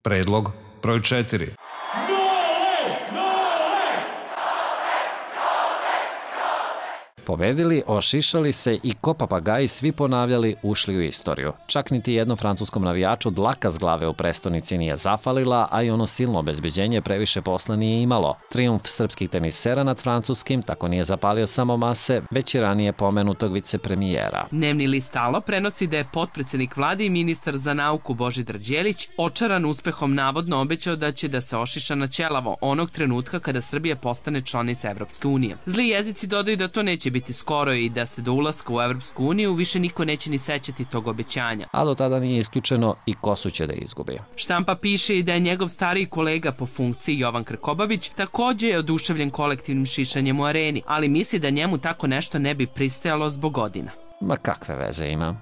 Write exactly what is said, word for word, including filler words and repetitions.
Predlog broj četiri. Pobedili, ošišali se i ko papagaji svi ponavljali, ušli u istoriju. Čak niti jednom francuskom navijaču dlaka s glave u prestonici nije zafalila, a i ono silno obezbeđenje previše posla nije imalo. Trijumf srpskih tenisera nad francuskim tako nije zapalio samo mase, već i ranije pomenutog vicepremijera. Dnevni list Alo prenosi da je potpredsednik vlade i ministar za nauku Božidar Đelić očaran uspehom navodno obećao da će da se ošiša na ćelavo onog trenutka kada Srbija postane članica Evropske unije. Zli jezici dodaju da to neće biti biti skoro i da se do ulaska u Evropsku uniju više niko neće ni sećati tog obećanja. A do tada nije isključeno i Kosu će da izgubi. Štampa piše i da je njegov stariji kolega po funkciji Jovan Krkobabić takođe je oduševljen kolektivnim šišanjem u areni, ali misli da njemu tako nešto ne bi pristajalo zbog godina. Ma kakve veze ima?